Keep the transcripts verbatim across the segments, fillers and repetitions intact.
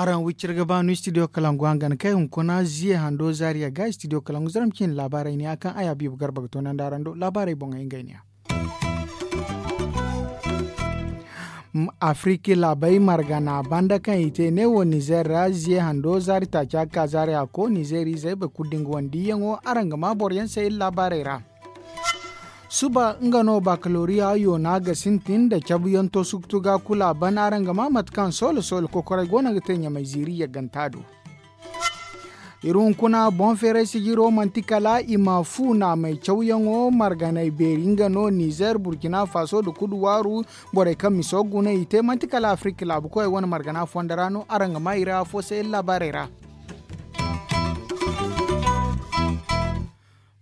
Araŋ wicir ga ba no studio kalangu hangan kay hunkuna ziye hando zaariya ga studio kalangu zaram cine laabaarey ne a kaŋ ay habiibu garba ga toonandi araŋ do laabaarey boŋey ngey ne ya. Afiriki laabey margana banda kaŋ i te neewo nizeer ra ziye hando zaari taaca ga ka zaari a ko nizeer izey boro kulu da nga wane diiyaŋo araŋ ga ma boro yaŋ se iri laabaarey ra. Suba nga no bakaloriya yoona ga sintin nda cabuyaŋ to suktu ga kulu a ban araŋ ga ma mate kaŋ soolo soolo kokoray go no ga te ɲamay ziiri yagganta do. Iri hunkuna boŋ feeray sijiro manti kala i ma fu naamay cawyaŋo marganay beeri nga no nizeer burkina faso nda kudu waaru. Borey kaŋ miso guna i te manti kala afirika laabu koyey wane margana fondo ra no araŋ ga ma i ra afo se iri laabaarey ra.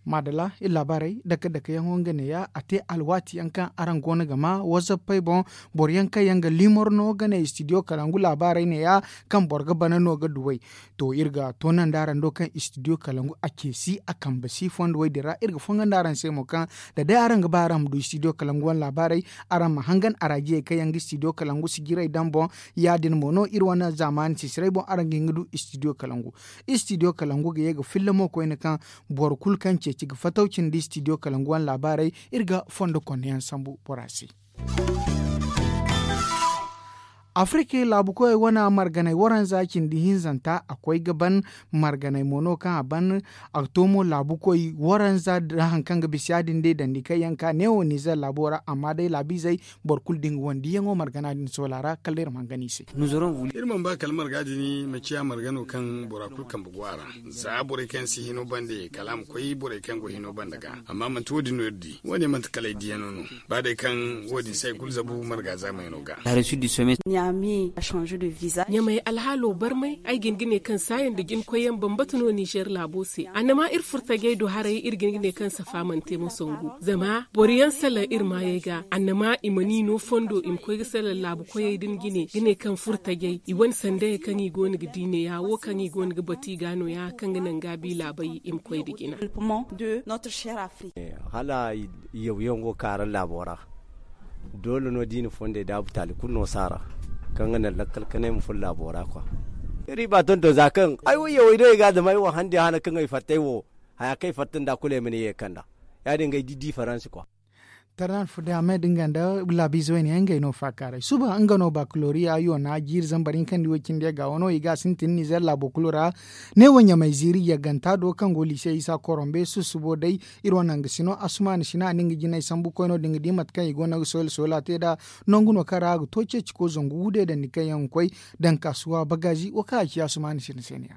Maadala iri laabaarey dake dake yaŋo nga neeya a te alwaati yaŋ kaŋ araŋ go no ga ma wazappey boŋ. Boro yaŋ kaŋ yaŋ ga liimor no ga ne istidiyo kalangu laabaarey neeya kaŋ boro ga bana no ga duw'ey. To iri ga toonandi araŋ do kaŋ istidiyo kalangu a ceesi a kambe si fondo wey din ra iri ga fongandi araŋ se mo kaŋ da day araŋ ga ba araŋ ma du istidiyo kalangu wane laabaarey araŋ ma hangan araajiyey kaŋ yaŋ ga istidiyo kalangu sijirey daŋ boŋ. Ya- din mo no iri wane zaamaani sisiray boŋ araŋ ga hin ga du istidiyo kalangu. Istidiyo kalangu ga ye ga filla mo koyne kaŋ boro kulu kaŋ ceeci ga fataw cindi istidiyo kalangu wane laabaarey. Iri ga fondo konne yaŋ sambu bora se. Afirika laabu koyey wane marganay waranza cindi hinzanta a koy ga ban marganay mo no kaŋ a ban a ga to mo laabu koy waranza nda hari kaŋ ga bisa ya- din day dandi kaŋ yaŋ ka neewo nizeer laabo ra amma day laabiizey boro kulu da nga wane diiyaŋo margana din soola ra kala iri ma hangan i se. Iri mana ba kala marga din ma ciya marga no kaŋ bora kulu kambe go a ra. Za borey kaŋ yaŋ si hino bande kala a ma koy borey kaŋ go hino bande ga amma manti wo- din no iri di wo- ne manti kala ay diiyano no. Ba day kaŋ wo- din se ay kulu zabu marga zaamayaŋo ga. Ɲamay alhaalo barmay ay ga hin ga ne kaŋ saayaŋ nda jinkoyyaŋ bambata no nizeer laabo se annama iri furtajey do haray iri ga hin ga ne kaŋ safa mana te ma sangu zama boro yaŋ salaŋ iri maayey ga annama i mana i no fondo i ma koy ga salaŋ laabu koyey din jine ga ne kaŋ furtajey i wane sandayey kaŋ i go no ga di neeya wo kaŋ i go no ga batu i ga nooya kaŋ ga naŋ gaabi laabey i ma koy nda jina. Hala yawyaŋ go kaara laabo ra. Doole no da i na fondey daabu taali kulu no saara kaŋ ga naŋ lakkal kanay ma furo laabo ra kwa. Iri ba tonton za kaŋ ay wo yawey do i ga a dama ay wo handi hana kaŋ ay fattay wo haya kaŋ ay fatta nda kulu ay mana ye kanda. Ya- din ga ay di difaransi kwa. Tarnan fudame da nga nda laabiize wayne yaŋ ngey no faakaaray suba nga no bakaloriya yoona jiiri zambar hinka nda i wo cindi yagga wano i ga a sintin nizeer laabo kulu ra. Ne wo ɲamay ziiri yagganta do kaŋ go liise isa korombe susubo day. Iri wane nga sino asumaani sina a na nga jinay sambu koyno da nga di mate kaŋ i go no ga soyla soyla te nd'a. Nangu no kaŋ ra a ga to ceeci ko zangu wude dandi kaŋ yaŋ ga koy daŋ kaasuwa bagaazi wo kaŋ a ci asumaani sina se ne ya.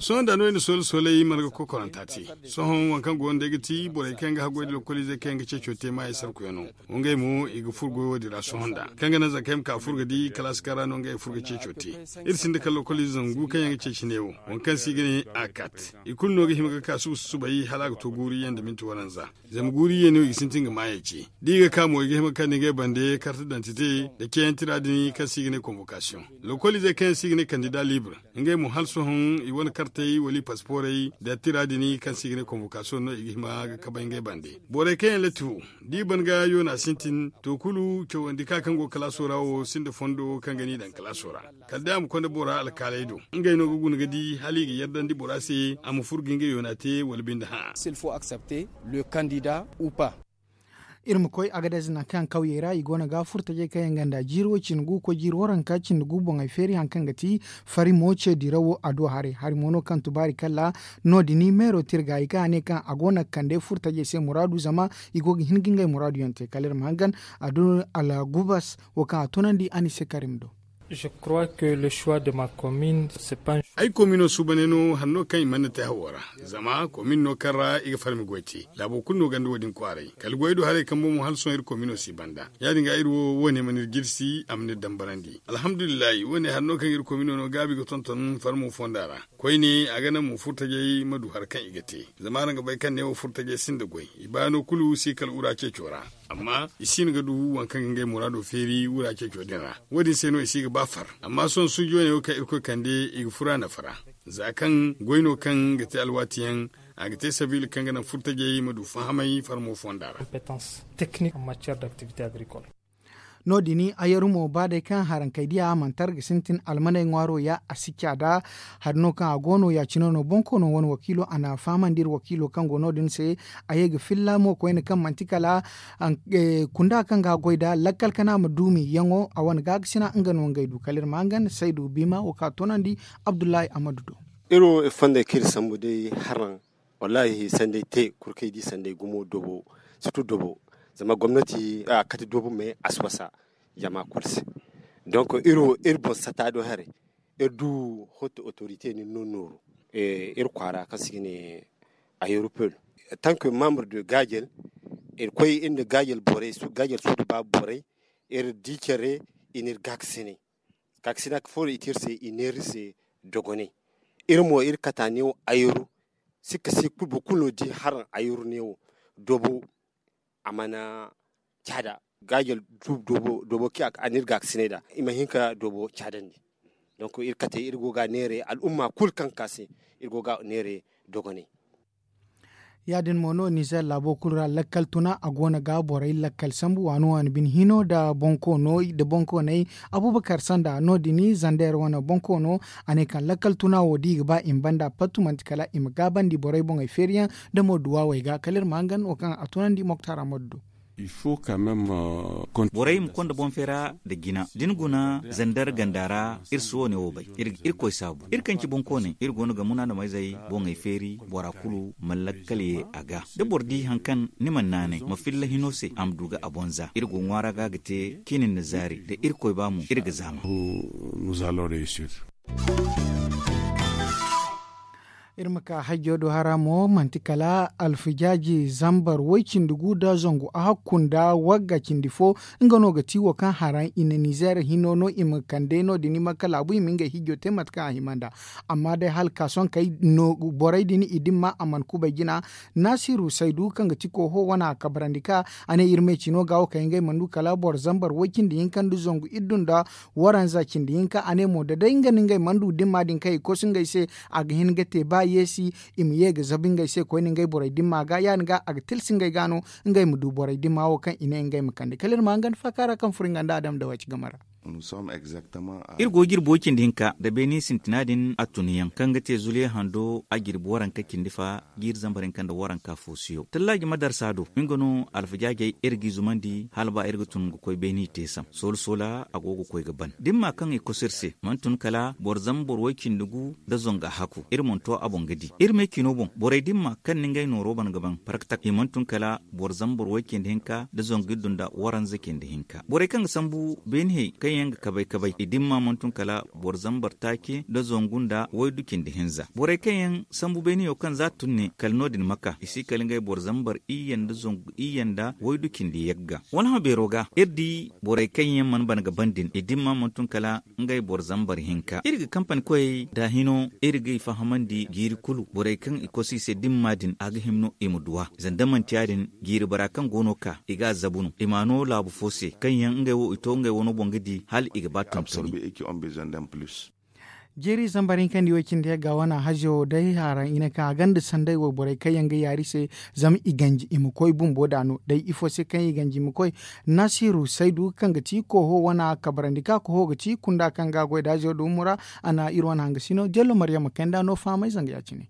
Sohõ nda no ay na soolay soolay marga kokoranta te. Sohõ waŋ kaŋ go no day ga ti borey kaŋ yaŋ ga haggoy nda lokoliizey kaŋ yaŋ ga ceeco te maayey sarkuyaŋo. Ngey mo i ga furo goyo wo- din ra sohõ nda kaŋ ga naŋ zankey ma ka furo ga di kalaasi kaŋ ra no ngey furo ga ceeco te. Iri sinda kala lokoliize zangu kaŋ yaŋ ga ceeci neewo waŋ kaŋ se i ga ne a kat. I kulu no ga hima ga ka suba susubay hala a ga to guuru iyye nda minti waranza. Zama guuru iyye no i ga sintin ga maayey ce da i ga ka mo i ga hima ga kande ngey bande karte dantite nda ceeyaŋ tira din kaŋ se i ga ne konbokasiyoŋ. Lokoliizey kaŋ yaŋ se i ga ne kandida libre ngey mo hala sohõ i wane kartey wala i pasiporey nda tira din kaŋ se i ga ne konbokasiyoŋ no i ga hima ga kabay ngey bande. Borey kaŋ yaŋ latti wo da i ban ga yoona sintin to kulu cawandi ka kaŋ go kalaaso ra wo sinda fondo kaŋ ga n'i daŋ kalaaso ra. Kala day a ma konda bora alkaaley do ngey no ga guna ga di hala i ga yardandi bora se a ma furo ga ngey yoona te wala binde hã. Iri ma koy agadez nangu kaŋ kawyey ra i go no ga furtajey kaŋ yaŋ ganda jiiri wo cindi gu koy jiiri waranka cindi gu boŋey feeri hari kaŋ ga ti fari mo ce dirawo a do haray hari mo no kaŋ tubaari kalla. No- din meero tirga i kaŋ a ne kaŋ a go no ga kande furtajey se muraadu zama i go ga hin ga ngey muraadu yaŋ te kala iri ma hangan. A do algubas wo kaŋ a tunandi a ni se karim do. Ay komino suubaney no hari no kaŋ i mana te hawo ra. Zama komin no kaŋ ra i ga farmi goy te laabo kulu no ganda wo- din kwaaray kala goy do haray kambo mo hala sohõ iri komino si banda. Ya- din ga iri wo wo- ne mana iri jirsi a mana iri dambarandi alhamdulillahi wo- ne hari no kaŋ iri komino no gaabi ga tonton farmo fonda ra. Koyne a ga naŋ mo furtajey ma du hari kaŋ i ga te. Zama araŋ ga bay kaŋ ne wo furtajey sinda goy i baano kulu si kala ura ceeco ra. Amma i si hin ga du waŋ kaŋ ga ngey muraado feeri wura ceeco din ra. Wo- din se no i si ga ba far. Amma sohõ suujo ne wo kaŋ irkoy kande i ga fura nafa ra, za kaŋ goy no kaŋ ga te alwaati yaŋ, a ga te sabiila kaŋ ga naŋ furtajey ma du fahamay farmo fonda ra. No- din, ayaru mo ba day kaŋ harankey diya mantar ga sintin almaney ŋwaaro ya a si caada. Hari no kaŋ a go no ya- cine no boŋ koono wane wakiilo a na a fahamandi iri wakiilo kaŋ go no- din se. A ye ga filla mo koyne kaŋ manti kala kunda kaŋ ga a goy nd'a lakkal kana ma duumi yaŋo a wane gaakasina nga no ngey du kala iri ma hangan saydu biima wo kaŋ a toonandi abdullahi ammadu do. Iri wo iri fonda kaŋ iri sambu day haraŋ. Wallaahi sanday te kulu kaŋ i di sanday gumo doobo, sirtu doobo. Zama gomnati a kate doobo me a si wasa jama kulu se. Donk iri wo iri boŋ sata do haray. Iri du hoto otorite no iri no nooru iri kwaara kaŋ se i ga ne ayeru peelu. Tank membre de gaajel iri koy iri nda gaajel borey gaajel suudu baabu borey. Iri di care i na iri gaakasinay. Kaakasina fo no i te iri se i neera iri se dogonay. Iri mo iri kata neewo ayeru. Sikka si kulu boro kulu no di haraŋ ayeru neewo doobo. A mana caada gaajel doobo kaŋ a na iri gaakasinay nd'a i ma hin ka doobo caadandi. Donk iri kate iri go ga a neera al'umma kulu kaŋ ga ka se iri go ga a neera dogonay. Ya- din mo no nizer laabo kulu ra lakkal tuna a go no ga borey lakkal sambu waani waani bine hino nda boŋkooney abubakar sanda no- din zander wane boŋkoono. A ne kaŋ lakkal tuna wo da i ga ba i ma banda pattu manti kala i ma gaabandi borey boŋey feeriyaŋ nda mo duwaawey ga kala iri ma hangan wo kaŋ a tunandi moktar ammadu do. Borey ma konda boŋ feera nda jina da ni guna zandar ganda ra. Iri si wo- ne wo bay iri ga irkoy saabu iri kaŋ ci boŋkooney iri go no ga munaadamayzey boŋey feeri bora kulu ma lakkal ye a ga. Da boro di hari kaŋ ni mana naanay ma filla hino se a ma du ga a boŋ za iri go ŋwaara ga ga te ciini nda zaari da irkoy ba mo iri ga zaama. Iri ma ka hajjo do hara mo manti kala alfijaaji zambar way-cindi gu nda zangu ahakku nda wagga cindi fo. Nga no ga ti wo kaŋ haraŋ i na nizer hino no i ma kande no- din i ma ka laabu i ma ngey hijjo te mate kaŋ a hima nd'a. Amma day hala ka sohõ kay borey din i dimma a mana kubay jina. Naasiru saydu kaŋ ga ti kooho wane a kabrandi ka a ne iri me cino ga wo kay ngey mana du kala boro zambar way-cindi hinka nda zangu iddu nda waranza cindi hinka a ne mo da day nga no ngey mana du dimma din kaŋ i kosu ngey se. A ga hin ga te ba yeesi i ma ye ga zabu ngey se koyne ngey borey dimma ga ya- din ga a ga tilsi ngey ga no ngey ma du borey dimma wo kaŋ i ne ngey ma kande kala iri ma hangan faaka ra kaŋ furo nga nda adam da waci game ra. Iri go jirbi way-cindi hinka nda beeni sintina din a tun yaŋ kaŋ ga te zuliya hando a jirbi waranka cindi fa jiiri zambar hinka nda waranka fo siyo tallaaji madarsa do nga no alfajaajey iri g'i zumandi hala ba iri ga tun ga koy beeni teesam soola soola a go ga koy ga ban dimma kaŋ i koso iri se mana tun kala boro zambar way-cindi gu nda zangu ahakku iri mana to a boŋ ga di iri me cino boŋ borey dimma kaŋ na ngey nooro ban ga ban paraktak i mana tun kala boro zambar way-cindi hinka nda zangu iddu nda waranza cindi hinka borey kaŋ ga sambu beeni hay kaŋ yaŋ ga kabay kabay i dimma mana tun kala boro zambar taaci nda zangu nda waydu cindi hinza borey kaŋ yaŋ sambu beeniyo kaŋ za tun ne kala no- din ma ka i si kala ngey boro zambar iyye nda zangu iyye nda waydu cindi yagga. Wala hã beero ga iri di borey kaŋ yaŋ mana ban ga ban din i dimma mana tun kala ngey boro zambar hinka iri ga kampani koyey da hino iri g'i fahamandi jiiri kulu borey kaŋ i kosu i se dimma din a ga hima no i ma duw'a zanda manti ya- din jiiri bara kaŋ go no ka i g'a zabu no i m'a no laabu fo se kaŋ yaŋ ngey wo i to ngey wano boŋ ga di hala i ga ba tontoni. Jeeri zambar hinka nda i way cindi yagga wane hazo day haraŋ i ne kaŋ a gonda sanday wayborey kaŋ yaŋ ga yaari se zama i ganji i ma koy bumbo da no day ifo se kaŋ i ganji i ma koy. Nasiru saydu kaŋ ga ti kooho wane kabarandi ka kooho ga ti kunda kaŋ ga a goy da hazo da umura. A na iri wane hangasino jello maryama kayna da no fahamay zanga ya- cine.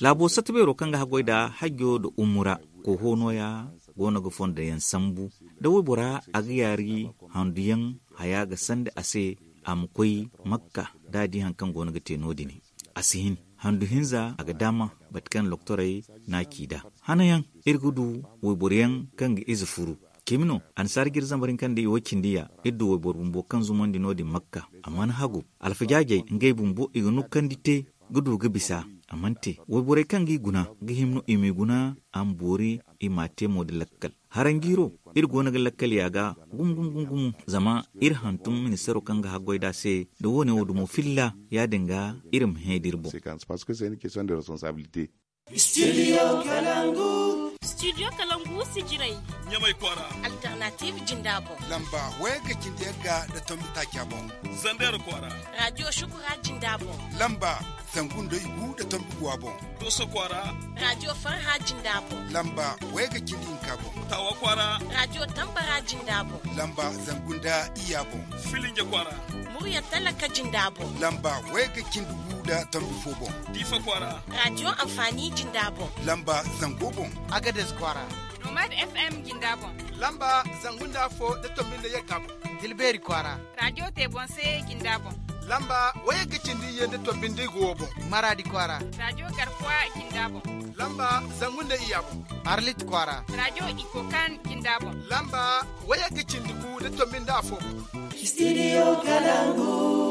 Laabo satta beero kaŋ ga haggoy da hajjo nda umura kooho nooya go no ga fondo yaŋ sambu da waybora a ga yaari handu yaŋ haya ga sanda a se a ma koy makka da a di hari kaŋ go no ga te no- din. A si hin handu hinza a ga daama bate kaŋ loktorey no a ci nd'a hanayaŋ iri ga du wayboro yaŋ kaŋ ga ize furu. Cimi no annasaara jiri zambar hinka nda i wo cindi ya iri du wayboro bumbo kaŋ zumandi no- din makka a mana hagu alfajaajey ngey bumbo i ga nukandi te ga du ga bisa a mana te wayborey kaŋ g'i guna ga hima no i m'i guna a ma boori i m'a te mo nda lakkal. Haranjiiro iri go no ga lakkal ya ga gumo gumo gumo gumo zama iri hantum ministeero kaŋ ga haggoy nd'a se nda wo- ne wo dumo filla ya- din ga iri ma hẽ da iri boŋ. Studio kalangu. Studio kalangu sijirey. Ɲamay kwaara. Alternative jinda boŋ. Lamba wayagga cindi yagga nda tombi taaca boŋ. Zandeera kwaara. Radio shukura jinda boŋ. Lamba zangu nda igu nda tombi guwa boŋ. Dooso kwaara. Radio farha jinda boŋ. Lamba wayagga cindi hinka boŋ. Taawa kwaara. Radio tambara jinda boŋ. Lamba zangu nda iyya boŋ. Filinja kwaara. Murya talaka jinda boŋ. Lamba wayagga cindi gu nda tombi fo boŋ. Diifa kwaara. Radio amfani jinda boŋ. Lamba zango boŋ. Agades kwaara. Nomad FM jinda boŋ. Lamba zangu nda afo nda tombi nda yagga boŋ. Tilbeeri kwaara. Radio te boŋ se jinda boŋ. Lamba wayagga cindi iyye nda tombi nda igu wo boŋ. Maraadi kwaara. Radio garkuwa jinda boŋ. Lamba zangu nda iyya boŋ. Arlit kwaara. Radio ikokan jinda boŋ. Lamba wayagga cindi gu nda tombi nda afo boŋ. Studio kalangu.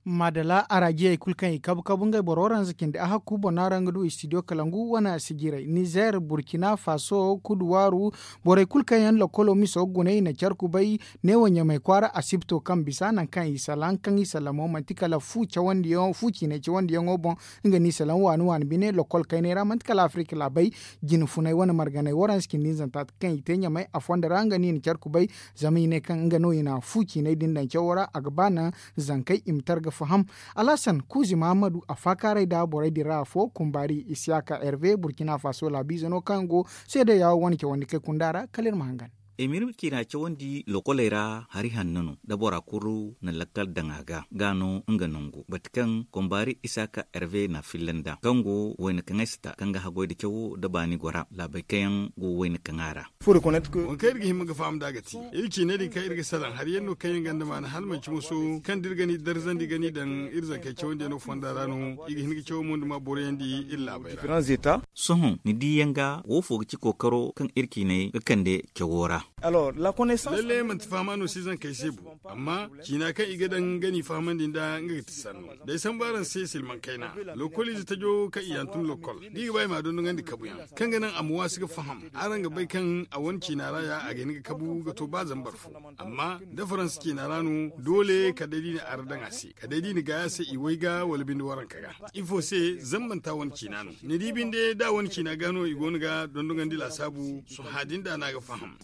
Madala arajiyey kulu kaŋ i kabu kabu ngey boro waranza cindi a hakku boŋ no araŋ ga du studio kalangu wane sijirey nizer burkina faso kuduwaaru. Borey kulu kaŋ yaŋ lokolo miso ga guna i na care kubay neewo ɲamay kwaara asibto kaŋ bisa nangu kaŋ i salaŋ kaŋ i salamo manti kala fu cawandiyaŋo fu ciinay cawandiyaŋo boŋ. Nga no i salaŋ waani waani bine lokol kaynay ra manti kala afirika laabey jine funay wane marganey waranza cindi nizanta kaŋ i te ɲamay a fondo ra nga no i na care kubay. Zama i ne kaŋ nga no i na fu ciinay din daŋ cawo ra a ga ba naŋ zankey i ma tar ga faham. Alhasan kuuzi mahammadu a faakaaray nda borey din ra afo kumbaari isiyaka herve burkina faso laabiize no kaŋ go seedeya wane cawandi kay kunda ra kala iri ma hangan. Emirma ciina cawandi lokoley ra hari hanno no da bora kulu na lakkal daŋ a ga ga no nga nangu bati kaŋ kombaari isaka herve na filla nda kaŋ go wayna kaŋ ay si ta kaŋ ga haggoy da cawo da baani gora laabey kaŋ yaŋ go wayna kaŋ a ra. Waŋ kaŋ iri ga hima ga faham nd'a ga ti iri ciiney din kaŋ iri ga salaŋ hari yaŋ no kaŋ yaŋ ganda maana hala manci moso kaŋ da iri ga ni darzandi ga ni daŋ iri zankey cawandiyaŋo fonda ra no i ga hin ga cawo mo nda ma boroyandi iri laabey ra. Sohõ ni di yaŋ ga wo fo ga ci kookaro kaŋ iri ciiney ga kande cawo ra. Lalle manti fahama no si zankey se bu amma ciina kaŋ i ga daŋ ga ni fahamandi nd'a nga ga ti sanno. D'ay sambu araŋ se silmaŋ kayna lokoliize tajo kaŋ i hantum lokol da i ga ba i m'a dondonandi kabuyaŋ kaŋ ga naŋ a ma waasi ga faham. Araŋ ga bay kaŋ a wane ciina ra ya a ga hin ga kabu ga to ba zambar fo. Amma da faransa ciina ra no doole kala day da i na ara daŋ a se kala day da i na gaay a se i way ga wala binde waranka ga. Ifo se zambanta wane ciina no ni di binde da wane ciina ga no i go no ga dondonandi laasaabu. Sohã din da no a ga faham.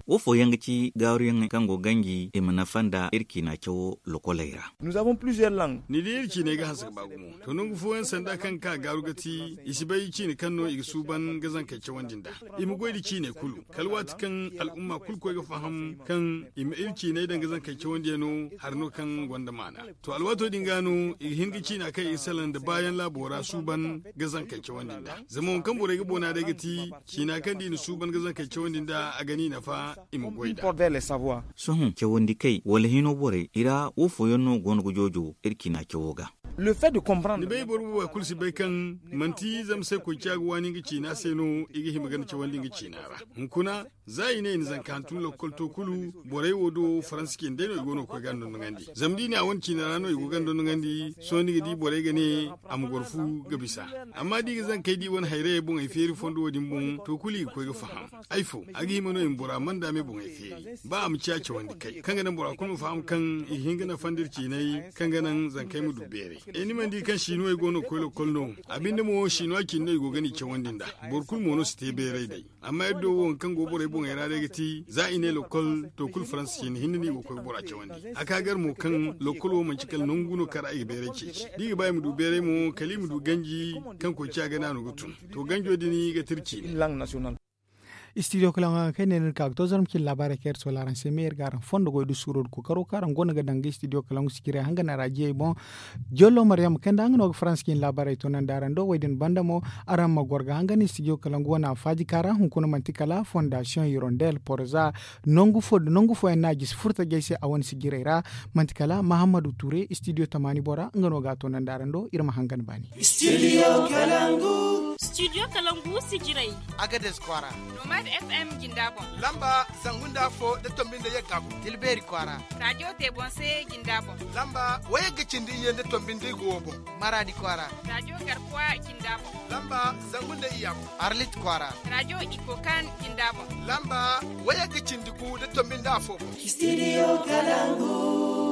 Wo fooyaŋ ga ci gaaruyaŋey kaŋ go ganji i ma nafa nda iri ciina cawo lokoley ra. Ni di iri ciiney ga hanse ga ba gumo. To nangu fooyaŋ sanda kaŋ ga ka gaaru ga ti i si bay ciine kaŋ no i ga suuban ga zankey cawandi nd'a. I ma goy nda ciiney kulu kala waati kaŋ al'umma kulu koy ga faham kaŋ i ma iri ciiney daŋ ga zankey cawandiyaŋo hari no kaŋ gonda maana. To alwaato din ga no i ga hin ga ciina kaŋ i ga salaŋ nda baayaŋ laabo ra suuban ga zankey cawandi nd'a. Zama waŋ kaŋ borey ga boona day ga ti ciina kaŋ da i na suuban ga zankey cawandi nd'a a ga ni nafa. I ma goy nd'a. Sohõ cawandi kay wala hino borey i ra wo fooyaŋ no go no ga joojo iri ciina cawo ga. Ni bay boro booba kulu si bay kaŋ manti zama se koy ciya ga waani nga ciina se no i ga hima ganda cawandi nga ciina ra. Hunkuna za i ne i na zanka hantum lokkol to kulu borey wo do faransa cine day no i go no ga koy ga ndondoŋandi zama da i ne a wane ciina ra no i go ga ndondoŋandi sohõ ni ga di borey ga ne a ma goro fu ga bisa. Amma da i ga zankey di wane hayrayey boŋey feeri fondo wo din boŋ to kulu i ga koy ga faham. Ay fo a ga hima no i ma bora manda me boŋey feeri ba a ma ciya cawandi kay kaŋ ga naŋ bora kulu ma faham kaŋ i ga hin ga nafandi iri ciinay kaŋ ga naŋ zankey ma du beeray. Ay ni mana di kaŋ sinuwey go no ga koy lokkol no a binde mo sinuwa cine no i go ga ni cawandi nd'a. Boro kulu mo no si te beeray day. Amma iri do wo waŋ kaŋ go borey boŋey ra day ga ti za i ne lokkol to kulu faransa cine hinne no i go ga koy ga bora cawandi. A ka gar mo kaŋ lokkol wo manci kala nangu no kaŋ ra i ga beeray ceeci da i ga ba i ma du beeray mo kala i ma du ganji kaŋ koy ciya ga naanu ga tun. To ganjo din ga ti iri ciine. Studio kalaŋo araŋ kay ne no iri ka ga to zarma cine laabaarey kaŋ iri soola araŋ se me iri ga araŋ fondo goy da suuro da kookaro kaŋ araŋ goono ga daŋ ga studio kalaŋo sijirey hanga na raajiyey boŋ. Jollo maryam kay nda nga no ga faransa cine laabaarey to naŋ da araŋ do wo- din banda mo araŋ ma goro ga hanga ni studio kalaŋo wane a faaji kaŋ ra hunkuna manti kala fondasiyoŋ hirondel porza. Nangu fooyaŋ no a gisi furtajey se a wane sijirey ra. Manti kala mahammadu ture studio tamaani bora nga no ga a to naŋ da araŋ do iri ma hangan baani. Studio kalangu. Studio kalangu sijirey. Agades kwaara. Nomad FM jinda boŋ. Lamba zangu nda afo nda tombi nda yagga boŋ. Tilbeeri kwaara. Radio te boŋ se jinda boŋ. Lamba wayagga cindi iyye nda tombi nda igu wo boŋ. Maraadi kwaara. Radio garkuwa jinda boŋ. Lamba zangu nda iyya boŋ. Arlit kwaara. Radio ikokan jinda boŋ. Lamba wayagga cindi gu nda tombi nda afo boŋ. Studio kalangu.